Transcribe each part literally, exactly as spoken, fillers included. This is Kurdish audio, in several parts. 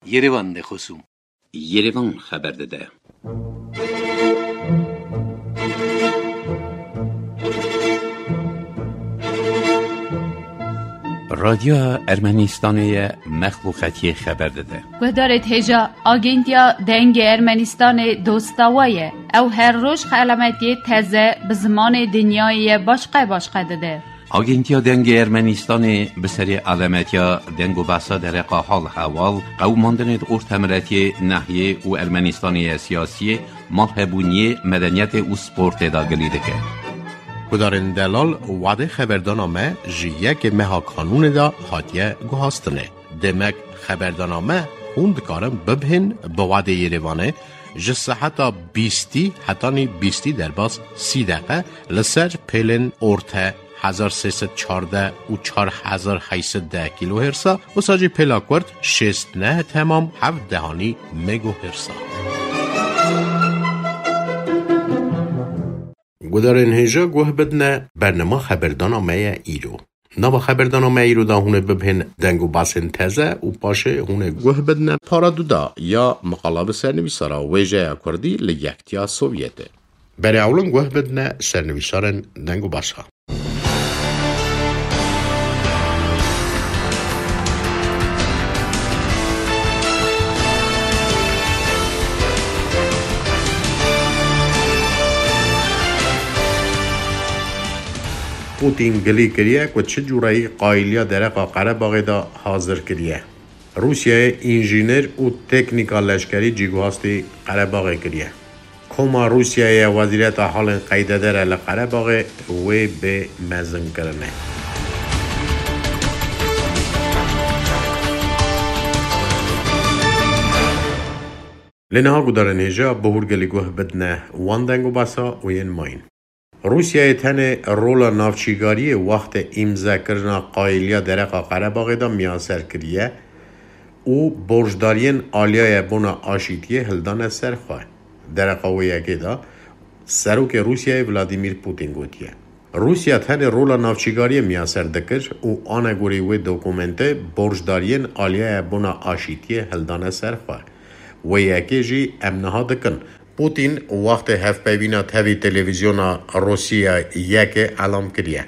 Yerevan de xosûm. Yerevan xeber dide. Radyoya Ermenistanê ye, mexluqetiyê xeber dide. Guhdarê hêja, Agentiya Dengê Ermenistanê dosta we ye. Ew her roj xelametiyê teze bi zimanê dinyayê ye başqe başqe dide. Agentiya Dengê Ermenistanê bi serê alemetiya deng û behsa dereqa hal hewal, qewimandinê di ortemiletiyê, nehiyê û Ermenistanê ye siyasiyê, malhebûniyê, medeniyetê û sportê de gilî dike. Gudarên delal, wadê xeberdana me ji yekê meha kanûnê de hatiye guhastinê. Demek xeberdana me hûn dikarin bibihên bi wadê Yerevanê ji seheta bîstî hetanî bîstî derbas sî deqe li ser pêlên orte hezar sê sed çardeh û çar hezar heyt sed deh kîlohêrsa, wisa jî pêla kurt şêst neh temam heft dehanî megohêrsa. Gudarên hêja guh bidine, bernama xeberdana me ye îro. Nava xeberdana me îro de hûn ê bibihên deng û basên teze û paşê hûn ê guh bidine para duda ya miqala bi sernivîsara wêjeya kurdî li Yektiya Sovyetê. Berê ewlin guh bidine sernivîsarên deng û basa. Pûtîn gilî kiriye ku çi cûreyî qayîliya dereqa Qerebaxê de hazir kiriye. Rûsyayê înjîner û teknîka leşkerî cîguhastî Qerebaxê kiriye. Koma Rûsyayê ya Wezîreta Halên Qeydedere li Qerebaxê wê bê mezinkirinê. Lê niha gudarên hêja bi hûrgilî guh bidine wan deng û basa û yên mayîn. Rûsyayê tenê rola navçîgariyê wextê îmzekirina qayîliya dereqa Qerebaxê de miyaser kiriye û borcdariyên aliyaya bona aşîtiyê hildane ser xwe. Dereqa wê yekê de Serokê Rûsyayê Vladimir Putin gotiye, Rûsya tenê rola navçîgariyê miyaser dikir û anegorî wê dokumentê borcdariyên aliyaya bona aşîtiyê hildane ser xwe. Wê yekê jî em niha dikin. Putin wextê hevpeyvîna tevî televîzyona Rûsya yekê elam kiriye.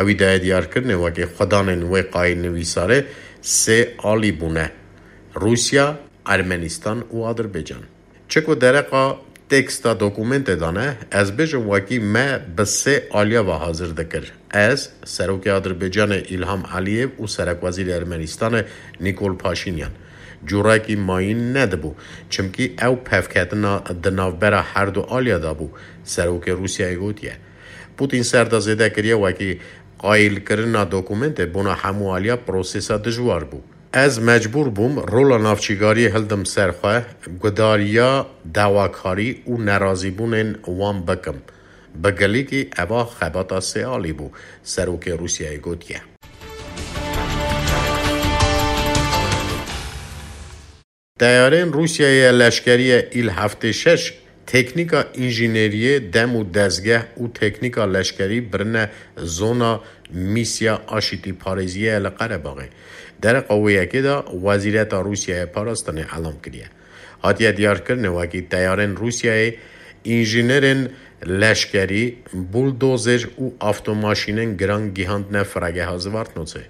Ewî daye diyarkirinê wekî xwedanên wê qayîlnivîsarê sê alî bûne: Rûsya, Ermenistan û Adirbaycan. Çi ku dereqa teksta dokumentê de ne, ez bêjim wekî me bi sê aliya ve hazir dikir. Ez, Serokê Adirbaycanê Îlham Eliyev û Serekwezîrê Ermenistanê Nîkol Paşînyan. Cûrekî mayîn nedibû, çimkî ew pevketina di navbera her du aliya de bû, Serokê Rûsyayê gotiye. Pûtîn ser de zêde kiriye wekî qayîlkirina dokumentê bona hemû aliya prosesa dijwar bû. Ez mecbûr bûm rola navçîgariyê hildim ser xwe, gudariya dawakarî û nerazîbûnên wan bikim. Bi gilîkî eva xebata sê alî bû, Serokê Rûsyayê gotiye. Teyarên Rûsyayê ya leşkerî ya Îl heftê şeş teknîka înjîneriyê, dem û dezgeh û teknîka leşkerî birine zona mîsya aşîtîparêziyê ye li Qerebaxê. Dereqa wê yekê de Wezîreta Rûsyayê Parastinê elam kiriye. Hatiye diyarkirinê wekî teyarên Rûsyayê înjînerên leşkerî, buldozer û avtomaşînên giran gihandine firegeha Zvartnotsê.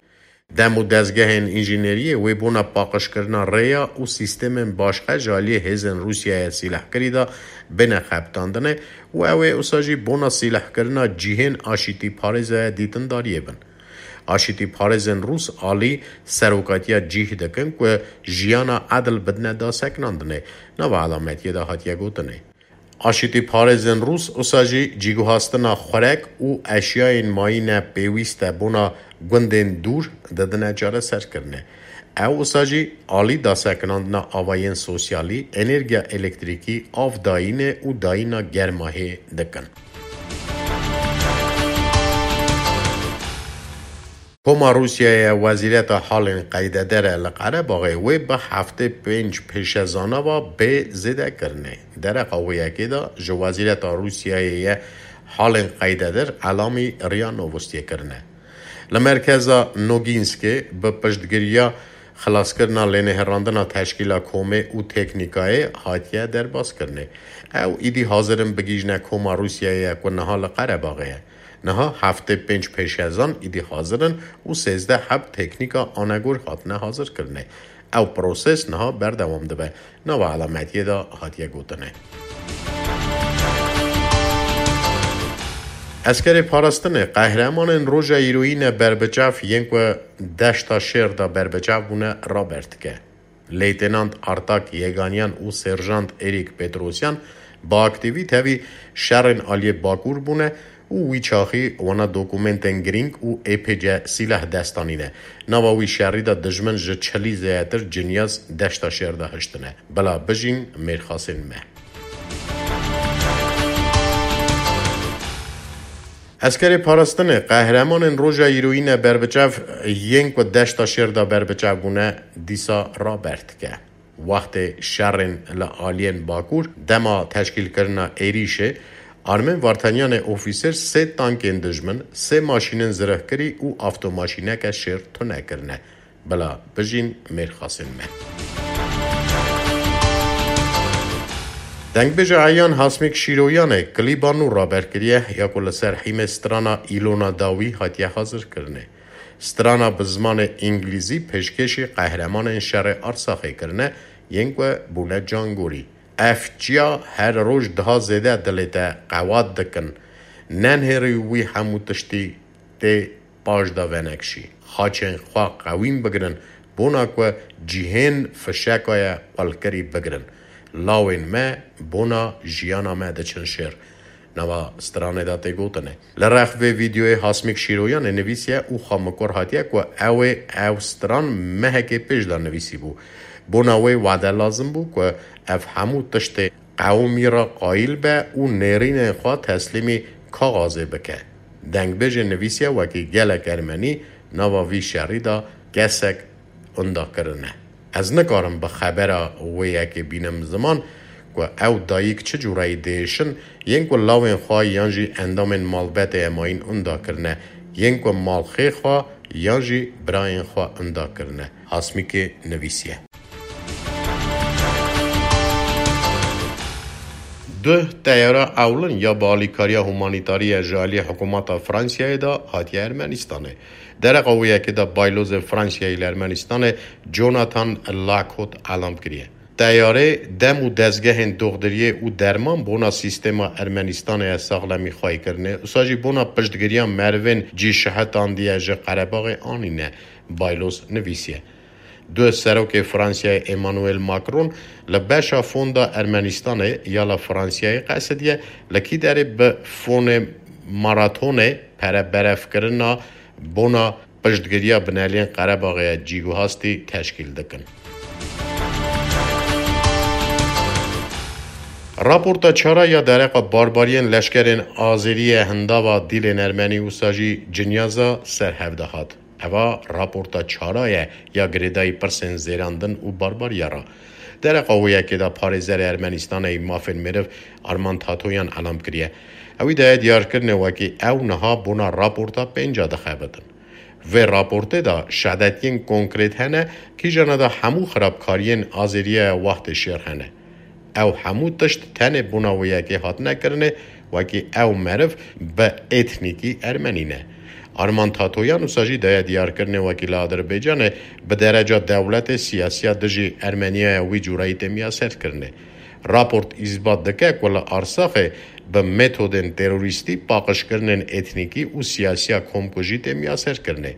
Dem û dezgehên înjîneriyê wê bona paqijkirina rêya û sîstemên başqe ji aliyê hêzên Rûsyayê sîlehkirî de bêne xebitandinê û ew ê wisa jî bona sîlehkirina cihên aşîtîparêzê dîtindariyê bin. Aşîtîparêzên Rûs alî serokatiya cih dikin ku jiyana edil bidine dasekinandinê, nava elametiyê de hatiye gotinê. Aşîtîparêzên Rûs wisa jî cîguhastina xurek û eşyayên mayîne pêwîst e bona gundên dûr didine çareserkirinê. Ew wisa jî alî dasekinandina avayên sosyalî, enerjiya elektrîkî, av dayînê û dayîna germahê dikin. Koma Rûsyayê Wezîreta Halên Qeydedere li Qerebaxê wê bi heftê pênc pêşezana ve bê zêdekirinê. Dereqa wê yekê de ji Wezîreta Rûsyayê ye Halên Qeydeder elamî Ria Novostiyê kirine. Li merkeza Nogînskê bi piştgiriya Xilaskirina lênêherandina teşkîla komê û teknîkayê hatiye derbaskirinê. Ew îdî hazir in bigihîjine koma Rûsyayê ye ku niha li Qerebaxê ye. Niha heftê pênc pêşezan îdî hazir in û sêzdeh heb teknîka anegor hatine hazirkirinê. Ew proses niha berdewam dibe. Nava elametiyê de hatiye gotinê. Eskerê parastinê, qehremanên roja îroyî ne berbiçav yên ku deşta şêr de berbiçav bûne raber dike. Leytenant Artak Yeganyan û Serjant Erîk Petrosyan bi aktîvî tevî şerên aliyê Bakur bûne û wî çaxî wana dokumentên girîng û ê pê ce sîlah dest anîne. Nava wî şerî de dijmin ji çilî zêdetir cinyaz deşta şêr de hiştine. Bila bijîn mêrxasên me. Eskerê parastinê, qehremanên roja îroyî ne berbiçav yên ku deşta şêr de berbiçav bûne, dîsa raber dike. Wextê şerên li aliyên Bakur, dema teşkîlkirina êrîşê, Armên Vartanyanê ofîser sê tankên dijmin, sê maşînên zirehkirî û avtomaşîneke şêr tune kirine. Bila bijîn mêrxasên me. Dengbêja Eyan Hasmîk Şîroyanê klîba nû raber kiriye ya ku li ser hîmê strana Îlona Dawî hatiye hazirkirinê. Strana bi zimanê îngilîzî pêşkêşî qehremanên şerê Arsaxê kirine, yên ku bûne cangorî. Ev çiya her roj daha zêde dilê te qewat dikin. Nenhêrî wî hemû tiştî tê paş de venekşî. Xaçên xwe qewîn bigirin, bona ku cihên fişeka ye qulkirî bigirin. Lawên me bona jiyana me diçin şêr. Nava stranê de tê gotinê. Li rex vê vîdeoyê Hasmîk Şîroyanê nivîsiye û xwe mikor hatiye ku ew ê ew stran mehekê pêş de nivîsîbû. Bona wê wade lazim bû ku ev hemû tiştê qewimî re qayîl be û nêrînên xwe teslîmî kaxazê bike. Dengbêjê nivîsiye wekî gelek ermenî nava vî şerî de kesek unda kirine. Ez nikarim bi xebera wê yekê bînim ziman ku ew dayik çi cûreyî diêşin, yên ku lawên xwe yan jî endamên malbetê emayîn unda kirine, yên ku malxê xwe yan jî birayên xwe unda kirine. Hasmîkê nivîsiye. Duh teyara ewlin ya bi alîkariya humanîtarî ya ji alî hikûmeta Fransiyayê de hatiye Ermenîstanê. Dereqa wê yekê de baylozê Fransiyayê li Ermenîstanê Jonathan Lacot elam kiriye. Teyarê dem û dezgehên doxdiriyê û derman bona sîstema Ermenîstanê ya saxlemî xweyî kirine, usa jî bona piştgiriya merivên cî şihetandiye ji Qerebaxê anîne, bayloz nivîsiye. Duh serokê Fransiyayê Emmanuel Macron li beşa fonda Ermenîstanê ya li Fransiyayê qesidiye, li kî derê bi fonê maratonê pereberevkirina bona piştgiriya bineliyên Qerebaxê ya cîguhastî teşkîl dikin. Raporta çara ya dereqa barbariyên leşkerên Azerî ye hindava dîlên ermenî wisa jî cinyaza ser hev de hat. Eva raporta çara ye ya girêdayî pirsên zêrandin û barbariya re. Dereqa wê yekê de parêzerê Ermenîstanê yî mafên meriv Arman Tatoyan elam kiriye. Ewî daye diyarkirinê wekî ew niha bona raporta pênca dixebitin. Vê raportê de şedetiyên konkrêt hene, kîjana de hemû xirabkariyên Azeriya ya wextê şêr hene. Ew hemû tişt tenê bona wê yekê hatine kirinê, wekî ew meriv bi etnîkî ermenî ne. Arman Tatoyan wisa jî daye diyarkirinê wekî li Adirbaycanê bi dereca dewletê siyasiya dijî Ermeniya ya wî cûreyî tê miyaserkirinê. Raport îsbat dike ku li Arsaxê bi metodên terorîstî paqijkirinên etnîkî û siyasiya komkujî tê miyaserkirinê.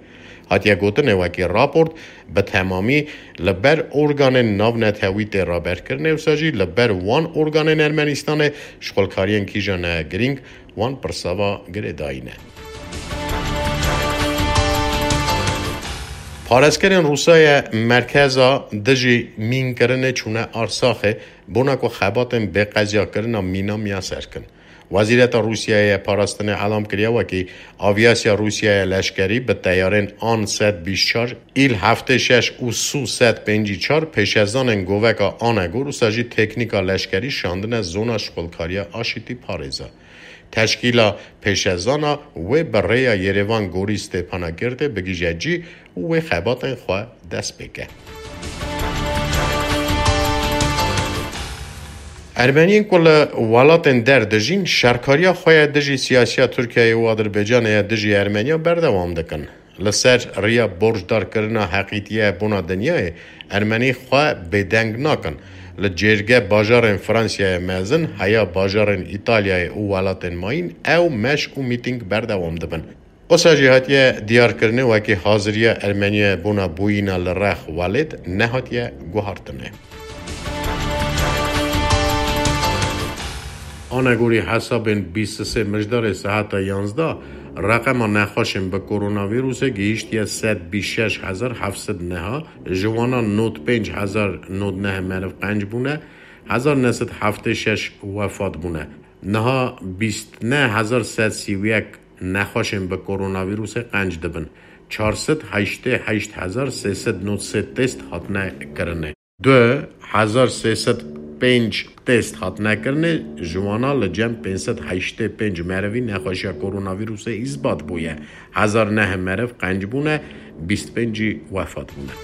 Hatiye gotinê wekî raport bi temamî li ber organên navnetewî tê raberkirinê, wisa jî li ber wan organên Ermenistanê şixulkariyên kîjan e girîng wan pirsa ve girêdayî ne. Parêzkerên Rûsayê merkeza dijî mînkirinê çûne Arsaxê, bona ku xebatên bêqeziyakirina mîna miyaser kin. Wezîreta Rûsiyayê ya parastinê elam kiriye wekî avyasiya Rûsiyayê leşkerî bi teyarên An sed bîst çar, Îl heftê şeş û Su sed pêncî çar pêşezanên goveka Anegor ûsa jî teknîka leşkerî şandine zona şixulkariya aşîtî parêza. Teşkîla pêşezana wê bi rêya Yerevan Gorî Stêpana Girdê bigihîje cî û wê xebatên xwe dest pê ke. Ermeniyên ku li welatên der dijîn, şerkariya xwe ya dijî siyasiya Tirkiyeyê û Adirbaycanê ya dijî Ermeniya berdewam dikin. Li ser riya borcdarkirina heqîtiye bona dinyayê, Ermenî xwe bêdeng nakin. Li cêrge bajarên Fransiyayê mezin, heya bajarên Îtalyayê û welatên mayîn ew meş û mîtîng berdewam dibin. Wisa jî hatiye diyarkirinê wekî haziriya Ermeniya bona bûyîna li rex welêt nehatiye guhartinê. Anegorî hesabên bîst û sê Mijdarê seheta yanzdeh, reqema nexweşên bi koronavîrusê gihîştiye sed bîst şeş hezar heft sed neha, ji wana nod pênc hezar nod neh meriv qenc bûne, hezar neh sed heftê şeş wefat bûne. Niha bîst neh hezar sed sî û yek nexweşên bi koronavîrusê qenc dibin. Çar sed heştê heşt hezar sê sed nod sê test hatine kirinê. Du hezar sê sed pênc test hatine kirinê, ji wana li cem pênc sed heştê pênc merivî nexweşiya koronavîrusê îsbat bûye. Hezar neh meriv qenc bûne, bîst pênc jî wefat bûne.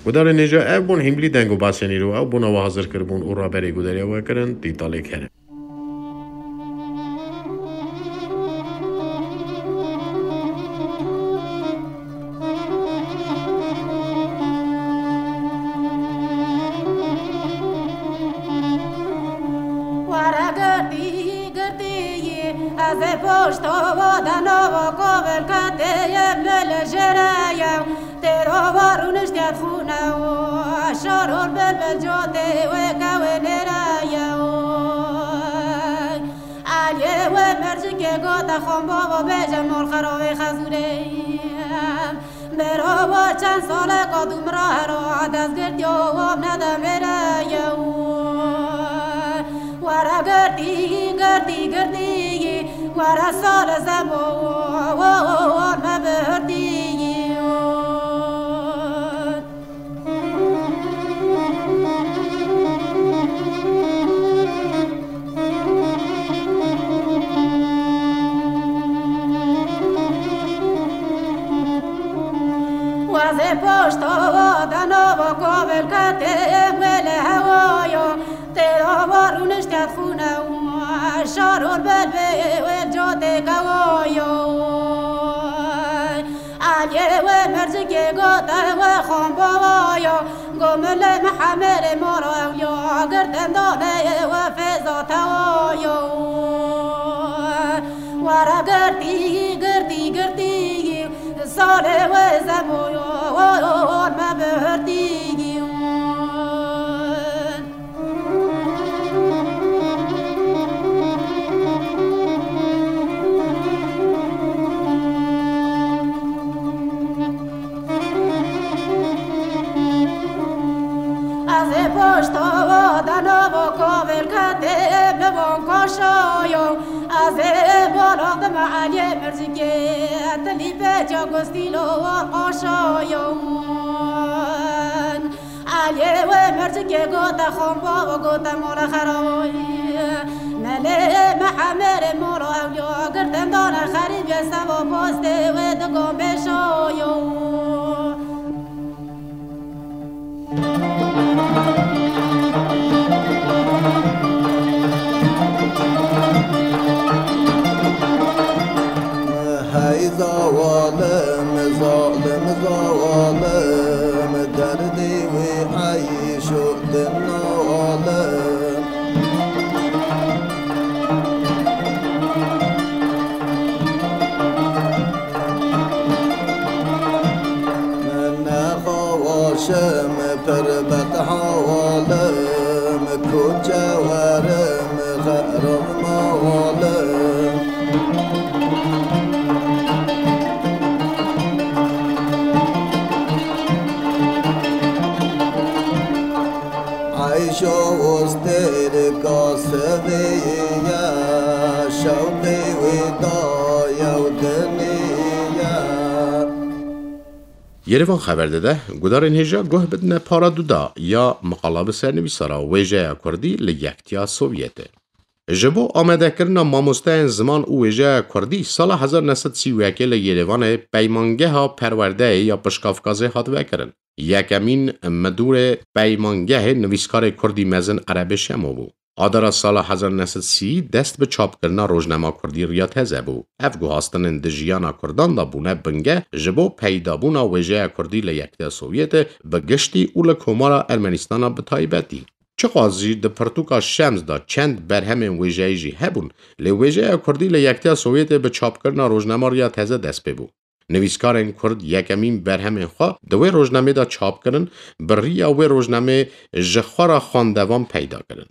Gudarên hêja, ev bûn hîmlî deng û basên îro, ew bona we hazir kiribûn û raberê gudariya we kirin, Tîtalê Kerem. Were girtî, girtî, ez ê poşto deno kovel ketê, yê min li jêre ye. Têro wa rûniştiye xûne û şor û bilbil cotê wê kewê nêre ye û Aliyê wê mercikê gote xombo vo bêje mol xerovê xezûrê. Mero vo çend sale ko tu mira hero dest girtiyo vo nede mêre ye û Were girtî, girtî, girtî, were sole zemo, me bi hirtî. Wazê poşto dano vo kovel ketê wê li hewayo. Têra wa rûnişte xûne û şar û belbê wê cotê kewayo. Aliyê wê mercikê gote wê xombowayo. Go milê Mihemerê moro ewliya girtin dane wê fêza tewayo. Were girtî, girtî, girtî, salê wê zemoyo, me bi hirtî. Ez ê poşto dano vo kovel ketê bi von koşoyo. Ez ê bolo dime Aliyê Mirzikê, tilî pê cagostîlo war qoşoyo. Aliyê wê mercikê gote xombo û gote mole xeroyî. Melê Mihemerê molo ewliya girtin dane xerîbê sevo postê wê digon bêşoyo. Hey zawalim, zalim zawalim, derdê wê eyş û din nawalim. Nexawaşim pir bedhawalim, koçe werim xerab mawalim. Yerevan xeber dide, gudarên hêja guh bidine para duda ya miqala bi sernivîsara wêjeya Kurdî li Yektiya Sovyetê. Ji bo amadekirina mamosteyên ziman û wêjeya Kurdî sala hezar neh sed sî û yekê li Yerevanê peymangeha perwerdeyê ya Pişka Kafkazê hat vekirin. Yekemîn midûrê peymangehê nivîskarê Kurdî mezin Erebê Şemo bû. Adara sala hezar neh sed sî dest bi çapkirina rojnama Kurdî Riya Teze bû. Ev guhastinên di jiyana Kurdan de bûne bingeh ji bo peydabûna wêjeya Kurdî li Yektiya Sovyetê bi giştî û li Komara Ermenistana bi taybetî. Çiqas jî di pirtûka Şems de çend berhemên wêjeyî jî hebûn, lê wêjeya Kurdî li Yektiya Sovyetê bi çapkirina rojnama Riya Teze dest pê bû. Nivîskarên Kurd yekemîn berhemên xwe di wê rojnamê de çap kirin, bi riya wê rojnamê ji xwe re xwendevan peyda kirin.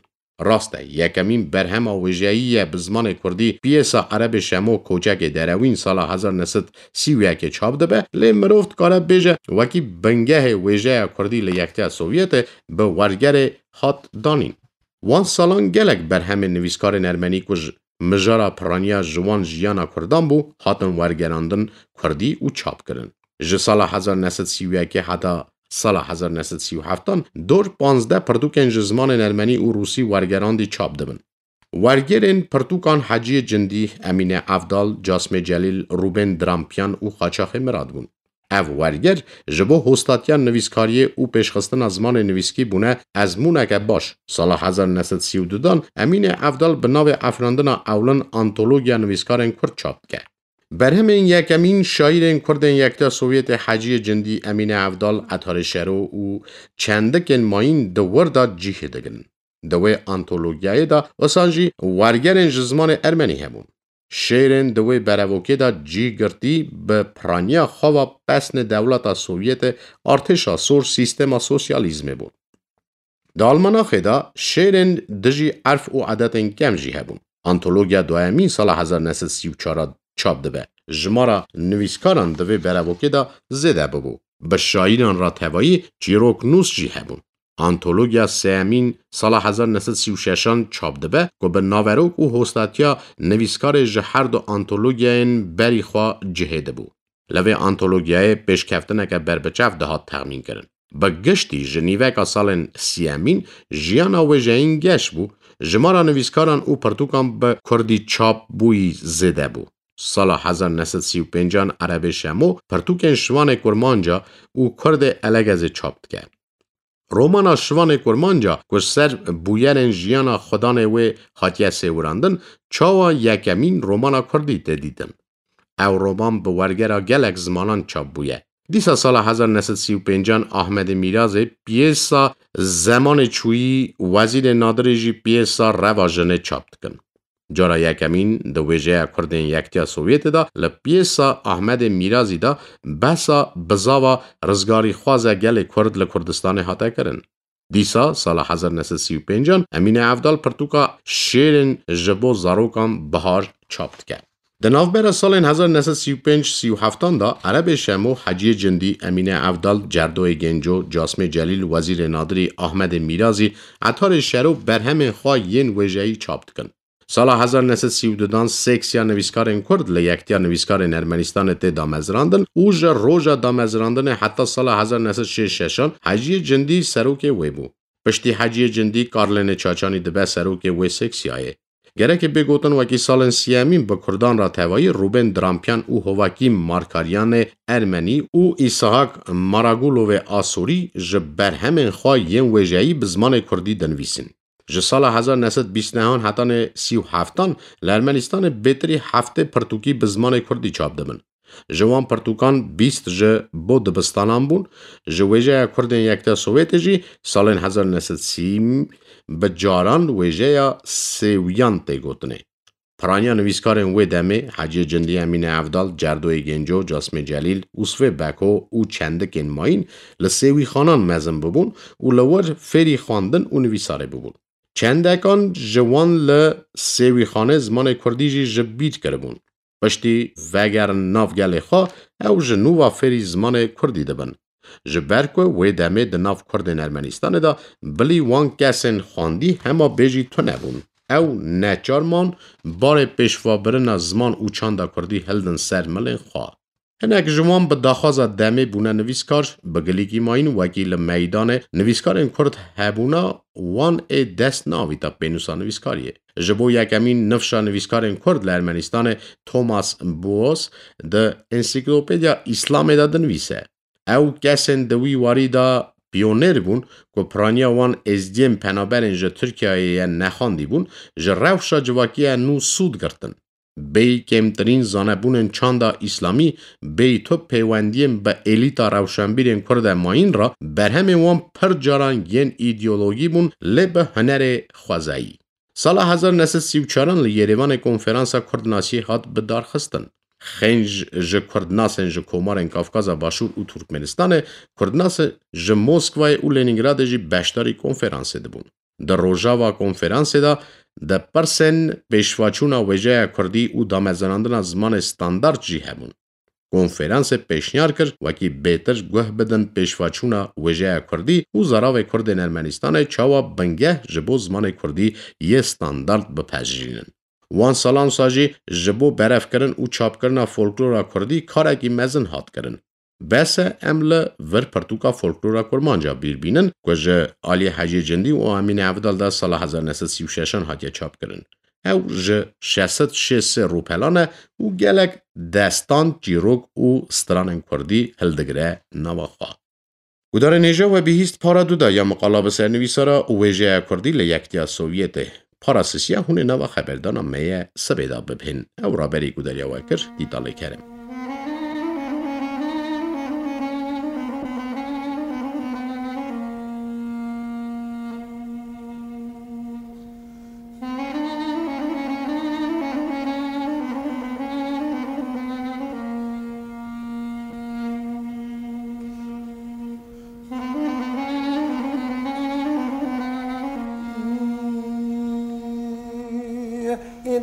Rast e, yekemîn berhema wêjeyî ye bi zimanê Kurdî, piyêsa Erebê Şemo Koçekê Derewîn sala hezar neh sed sî û yekê çap dibe, lê mirov dikare bêje wekî bingehê wêjeya Kurdî li Yektiya Sovyetê bi wergerê hat danîn. Wan salan gelek berhemên nivîskarên ermenî ku ji mijara piraniya ji wan jiyana Kurdan bû, hatin wergerandin Kurdî û çap kirin. Ji sala hezar neh sed sî û yekê heta sala hezar neh sed sî û heftan dor panzdeh pirtûkên ji zimanên ermenî û rûsî wergerandî çap dibin. Wergerên pirtûkan Heciyê Cindî, Emîne Evdal, Casmê Celîl, Rûbên Drampiyan û Xaçaxê Mirad bûn. Ev werger ji bo hostatiya nivîskariyê û pêşxistina zimanê nivîskî bûne ezmûneke baş. Sala hezar neh sed sî û du dan Emîne Evdal bi navê Efrandina Ewlin antologiya nivîskarên Kurd çap dike. Berhemên yekemîn şaîrên Kurdên Yekta Sovyetê Heciyê Cindî, Emîne Evdal, Etarê Şero û çendikên mayîn di wir de cîhê digirin. Di wê antologiyayê de wisa jî wergerên ji zimanê ermenî hebûn. Şêrên di wê berevokê de cî girtî bi piraniya xwe ve pesnê dewleta Sovyetê, artêşa sor, sîstema sosyalîzmê bûn. Di almanaxê de şêrên dijî erf û edetên kem jî hebûn. Antologiya duyemîn sala hezar neh sed sî û çar çap dibe. Jimara nivîskaran di vê berevokê de zêde bibû. Bi şaîran re tevayî çîroknûs jî hebûn. Antologiya sêyemîn sala hezar neh sed sî û şeşan çap dibe ku bi naverok û hostatiya nivîskarê ji her du antologiyayên berî xwe cihê dibû. Li vê antologiyayê pêşkeftineke berbiçav dihat texmînkirin. Bi giştî ji nîveka salên sîyemîn jiyana wêjeyîn geş bû, jimara nivîskaran û pirtûkan bi kurdî çap bûyî zêde bû. Sala hezar neh sed sî û pêncan Erebê Şemo pirtûkên Şivanê Kurmanca û Kurdê Elegezê çap dike. Romana Şivanê Kurmanca ku ji ser bûyerên jiyana xwedanê wê hatiye sêwirandin, çawa yekemîn romana kurdî tê dîtin? Ew roman bi wergera gelek zimanan çap bûye. Dîsa sala hezar neh sed sî û pêncan Ahmedê Mîrazê piyêsa Zemanê Çûyî, Wezîrê Nadirê jî piyêsa Reva Jinê çap dikin. Cara yekemîn di wêjeya Kurdên Yektiya Sovyetê de li piyêsa Ahmedê Mîrazî de behsa bizava rizgarîxwaza gelê Kurd li Kurdistanê hate kirin. Dîsa sala hezar neh sed sî û pêncan Emîne Evdal pirtûka Şêrên ji bo zarokan Bihar çap dike. Di navbera salên hezar neh sed sî û pênc sî û heftan de Erebê Şemo, Heciyê Cindî, Emîne Evdal, Cerdoyê Genco, Casmê Celîl, Wezîrê Nadirî, Ahmedê Mîrazî, Etarê Şero berhemên xwe yên wêjeyî çap dikin. Sala hezar neh sed sî û du dan seksiya nivîskarên Kurd li Yektiya Nivîskarên Ermenistanê tê damezrandin û ji roja damezrandinê heta sala hezar neh sed şêst şeşan Heciyê Cindî serokê wê bû. Piştî Heciyê Cindî Karlênê Çaçanî dibe serokê wê seksiyayê. Gerekê bê gotin wekî salên siyemîn bi Kurdan re tevayî Rûbên Drampiyan û Hovakî Markaryanê Ermenî û Îsahak Maragulovê Asûrî ji berhemên xwe yên wêjeyî bi zimanê Kurdî dinivîsin. Ji sala hezar neh sed bîst nehan hetanê sî û heftan li Ermenistanê bêtirî heftê pirtûkî bi zimanê Kurdî çap dibin. Ji wan pirtûkan bîst ji bo dibistanan bûn. Ji wêjeya Kurdên Yekta Sovyetê jî salên hezar neh sed sî bi caran wêjeya sêwiyan tê gotinê. Piraniya nivîskarên wê demê, Heciyê Cindî, Emîne Evdal, Cerdoyê Genco, Casmê Celîl, Usfê Beko û çendikên mayîn li sêwîxanan mezin bibûn û li wir fêrî xwendin û nivîsarê bibûn. Çendekan ji wan li sêwîxanê zimanê kurdî jî ji bîr kiribûn. Piştî vegerin nav gelê xwe, ew ji nû ve fêrî zimanê kurdî dibin. Ji ber ku wê demê di nav Kurdên Ermenistanê de bilî wan kesên xwendî hema bêjî tune bûn. Ew neçar man barê pêşvabirina ziman û çanda kurdî hildin ser milên xwe. Hinek ji wan bi daxwaza demê bûne nivîskar, bi gilîkî mayîn wekî li meydanê nivîskarên Kurd hebûna wan ê dest neavîta pênûsa nivîskariyê. Ji bo yekemîn nifşa nivîskarên Kurd li Ermenîstanê Thomas Boas di Ensiklopediya Îslamê de dinivîse. Ew kesên di wî warî de piyonêr bûn ku piraniya wan êzdiyên penaberên ji Tirkiyeyê ye nexandî bûn, ji rewşa civakiya nû sûd girtin. Bêyî kêmtirîn zanebûnên çanda îslamî, bêyî tu pêwendiyên bi elîta rewşenbîrên Kurd e mayîn re, berhemên wan pir caran yên îdeologî bûn, lê bi hunerê xwezayî. Sala hezar neh sed sî û çaran li Yerêvanê konferansa Kurdnasiyê hat bidarxistin. Xênc ji Kurdnasên ji komarên Kafkaza Başûr û Turkmenistanê, Kurdnasê ji Moskwayê û Lenîngradê jî beşdarî konferansê dibûn. Di rojava konferansê de, di pirsên pêşvaçûna wêjeya kurdî û damezrandina zimanê standard jî hebûn. Konferansê pêşniyar kir, wekî bêtir guh bidin pêşvaçûna wêjeya kurdî û zaravê kurdên Ermenîstanê çawa bingeh ji bo zimanê kurdî yê standard bipejirînin. Wan salan wisa jî ji bo berevkirin û çapkirina folklora kurdî karekî mezin hat kirin. Bes e em li vir pirtûka folklora kurmanca bîr bînin ku ji aliyê Hecî Cindî û Emînê Evdal de sala hezar neh sed sî û şeşan hatiye çapkirin. Ew ji şeş sed şêst sê rûpelan e û gelek destan, çîrok û stranên kurdî hildigire nava xwe. Gudarên hêja, we bihîst para du de ya miqala bi sernivîsara û wêjeya kurdî li Yektiya Sovyetê. Para sisiya hûn ê nava xeberdana me ye sibê de bibihên. Ew raberî gudariya we kir, Dîtalê Kerem.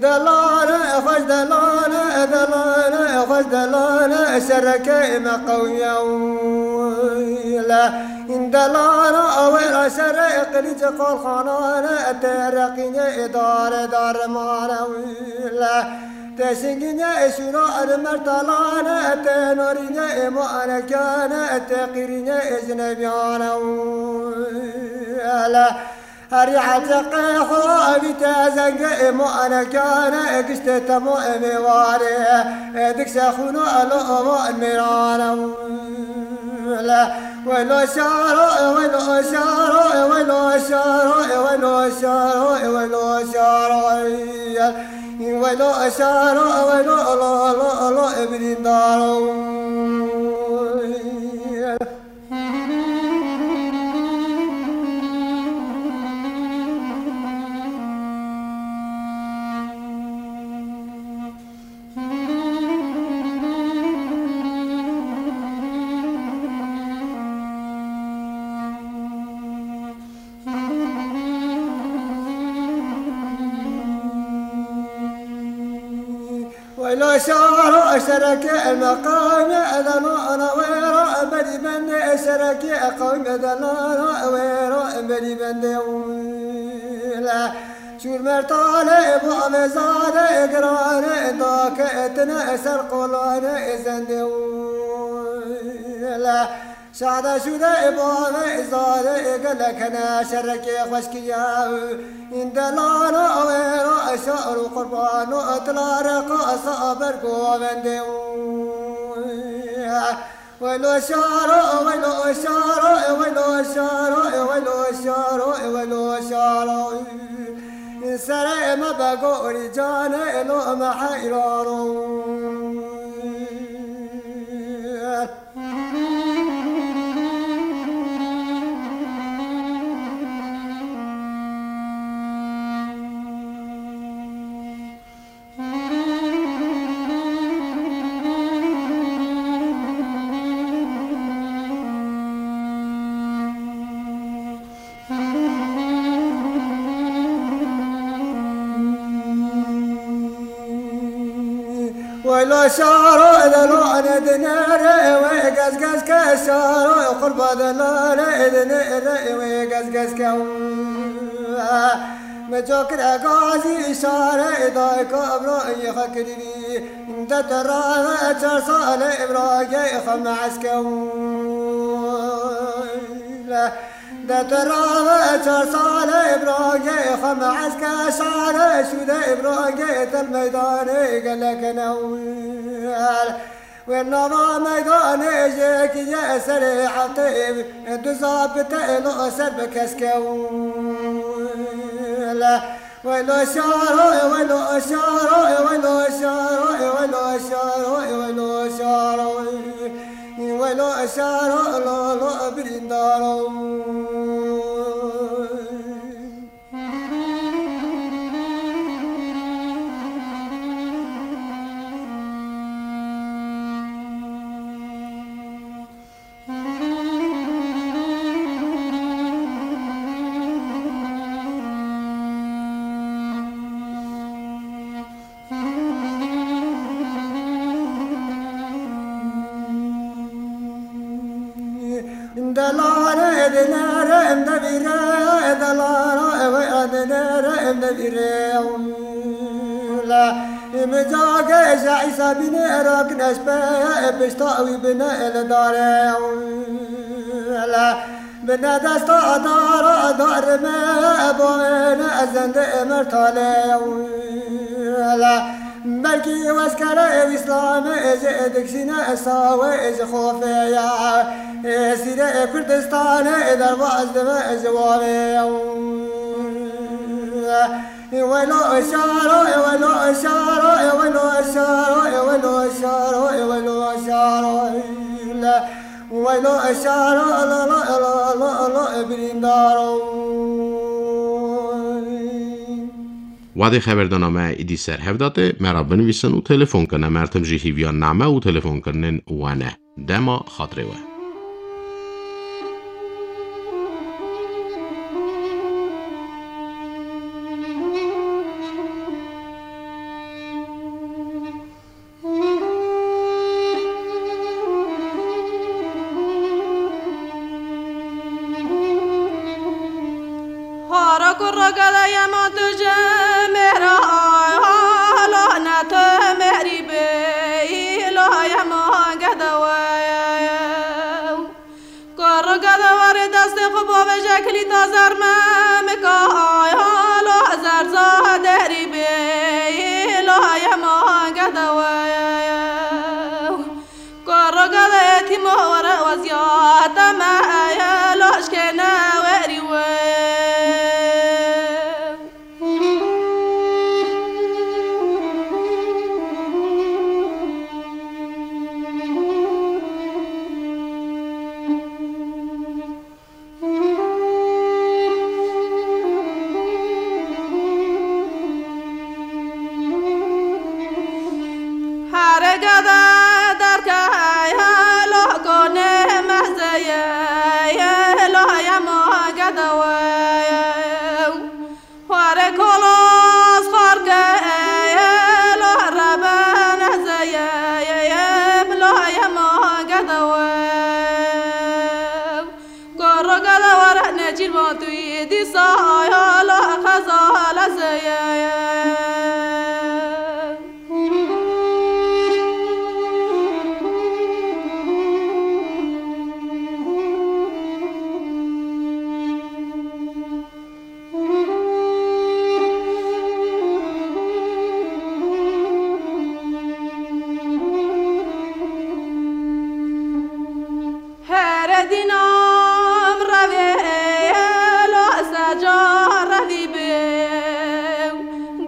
Delale, xweş delale, delale, xweş delale, şereke me qewmiye wile. Delale, awêra şere, qilîce qalxanane, te reqîne, dare, dare mane wile. Te şingîne, şûra, mertalane, te norîne, muanekane, te qîrîne, jinebiyane wile. Herî heceqê xwe avî te zengê ê muanekane, giştê temo ê mêwarê, dikşe xûno elo ova mêrane. Welo şaro, welo şaro, welo şaro, welo şaro, welo şaro, welo şaro, welo lo lo lo birîndaro. Weylo şaro şereke meqame edano ana wêra berî bende şereke qewme delana wêra berî bende wile. Şûr mertale bu amezade girane dake etine ser qolane zende wile. Şade şûde bave zade gelek hene şereke xweşkiye. Delana wêra şar û qurbano tilare qasa bergovende. Welo şaro, welo şaro, welo şaro, welo şaro, welo şaro. Serê me be gorî canê lo me heyrano. Welo şaro delane dinere we gez gez ke şaro qurba delane dinere we gez gez ke. Me cakir egazî şarê dayka Ibrahî xwe kirî. De te rave çar salê Ibrahî xwe me eske. De te rave çar salê Ibrahî xwe me eske. Şarê şûde Ibrahî tel meydanê gelek newel. Wê nava meydanê jêkî ye serê heftê, du zabite lo ser bi keske le. Welo şaro, welo şaro, welo şaro, welo şaro, welo şaro, welo şaro, lo lo birîndaro. Delalê dinere em devîre, delalê ewe dinere em devîre. La, em cage ji Îsa bîne rak neşpe, pişta wî bine el dare. La, bine desta dara darime, bavene ezende emer tale. La, Belkî weskere ew Îslamê ji dikşîne sawe ji xofê ya. Sîre Kurdistanê derbas dibe ji wavê ya. Welo şaro, welo şaro, welo şaro, welo şaro, welo şaro. Welo şaro, lo, lo, lo, lo, lo, birîndaro. Wadê xeberdana me îdî ser hev date, me ra binivîsin û telefon kine. Mertim jî hîviya name û telefonkirinên we ne. Dema xatirê we. Hara kurra gele yema tu ji mêra ay, halo ne tu mêrî bê, îlo yema gede we. Kurra gede warê destê xwe bavêje kilîta zermemika ay, halo zerza derî bê, îlo yema gede we. Kurra gede etîma were weziyate me, eye loşkene werî we. Here gede derkeye, lo konê mezeye, lo yema gede we. Here kolos xarkeye, lo rebe nezeye, lo yema gede we. Koro gada wara necîr van tu yê dîsa ya la xezala zeye. Here dînam revê lo seca revî bê.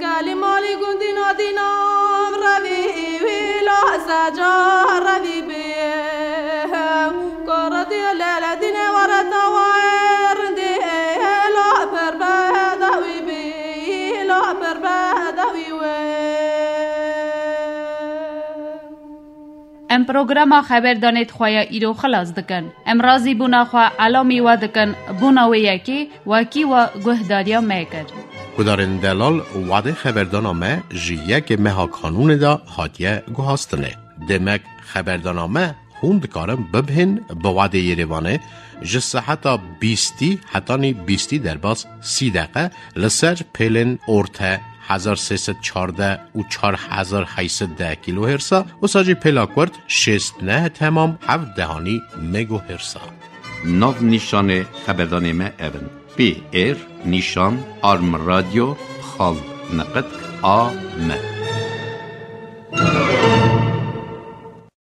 Gelî malî gundîna dînam revî wî lo seca revî bê. Koro dî lele dîne were tawayê rindî lo pir bedewî bî, lo pir bedewî wê. Em programa xeberdanê di xwe ya îro xilas dikin. Em razîbûna xwe elamî we dikin, bûna wê yekê wekî we guhdariya me kir. Gudarên delal, wadê xeberdana me ji yekê meha Kanûnê de hatiye guhastinê. Demek xeberdana me Hûn dikarin bibihên bi wadê Yerêvanê ji seheta bîstî hetanî bîstî derbas sî deqe li ser pêlên orte hezar sê sed çardeh û çar hezar heyt sed deh kîlohêrsa, wisa jî pêla kurt şêst neh temam heft dehanî megohêrsa. Nav nîşanê xeberdanê me ev in: P R nîşan arm radyo xal neqet A M.